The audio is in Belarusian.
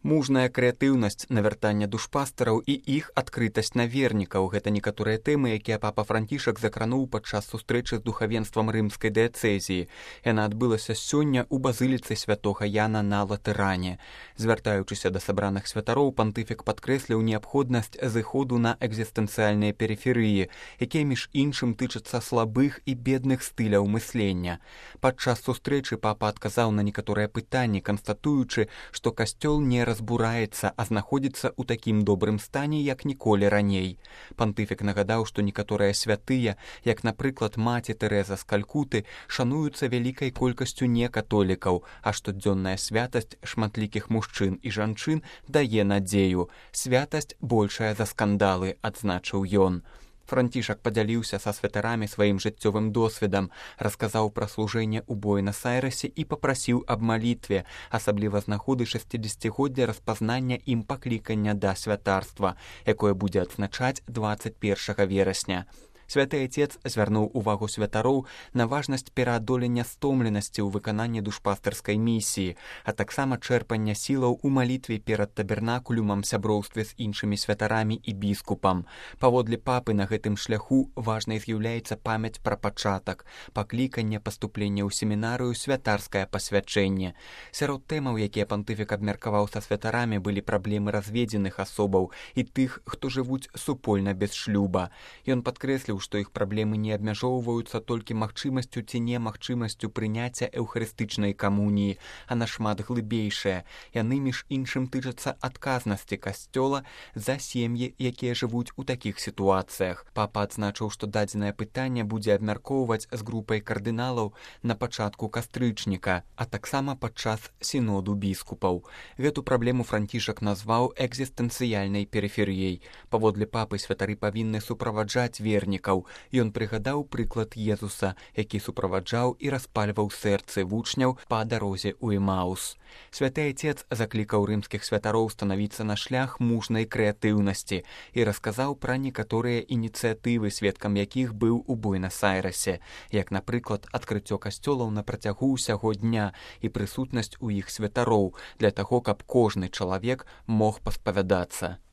Мужная крэатыўнасць навяртання душпастараў і іх адкрытасць на вернікаў – гэта некаторыя тэмы, якія папа Францішак закрануў падчас сустрэчы з духавенствам рымскай дыяцэзіі. Яна адбылася сёння ў базыліцы святога Яна на Латэране. Звяртаючыся да сабраных святароў, пантыфік падкрэсліў неабходнасць зыходу на экзістэнцыяльныя перыферыі, якія між іншым тычацца слабых і бедных стыляў мыслення. Падчас сустрэчы папа адказаў на некаторыя пытанні, канстатуючы, што касцёл не разбураецца, а знаходзіцца ў такім добрым стане, як ніколі раней. Пантыфік нагадаў, што некаторыя святыя, як, напрыклад, маці Тэрэза з Калькуты, шануюцца вялікай колькасцю некатолікаў, а штодзённая святасць шматлікіх мужчын і жанчын дае надзею. Святасць большая за скандалы, адзначыў ён. Францішак падзяліўся са святарамі сваім жыццёвым досведам, расказаў пра служэнне ў Буэнас-Айрэсе і папрасіў аб малітве, асабліва з нагоды 60-годдзя распазнання ім паклікання да святарства, якое будзе адзначаць 21 верасня. Святы Айцец звярнуў увагу святароў на важнасць пераадолення стомленасці ў выкананні душпастарскай місіі, а таксама чэрпання сілаў у малітве перад табернакулюмам, сяброўстве з іншымі святарамі і біскупам. Паводле папы на гэтым шляху важнай з'яўляецца памяць пра пачатак, пакліканне, паступленне ў семінарыю, святарскае пасвячэнне. Сярод тэмаў, якія пантыфік абмеркаваў са святарамі, былі праблемы разведзеных асобаў і тых, хто жывуць супольна без шлюба. Ён падкрэсліў, што іх праблемы не абмяжоўваюцца толькі магчымасцю ці немагчымасцю прыняцця эўхарыстычнай камуніі, а нашмат глыбейшыя. Яны, між іншым, тычацца адказнасці касцёла за сем'і, якія жывуць у такіх сітуацыях. Папа адзначыў, што дадзенае пытанне будзе абмяркоўваць з групай кардыналаў на пачатку кастрычніка, а таксама падчас сіноду біскупаў. Гэту праблему Францішак назваў экзістэнцыяльнай перыферыяй. Паводле папы святары павінны суправаджаць вернікаў. Ён прыгадаў прыклад Езуса, які суправаджаў і распальваў сэрцы вучняў па дарозе ў Эмаус. Святы Айцец заклікаў рымскіх святароў станавіцца на шлях мужнай крэатыўнасці і расказаў пра некаторыя ініцыятывы, сведкам якіх быў у Буэнас-Айрэсе, як, напрыклад, адкрыццё касцёлаў на працягу ўсяго дня і прысутнасць у іх святароў для таго, каб кожны чалавек мог паспавядацца.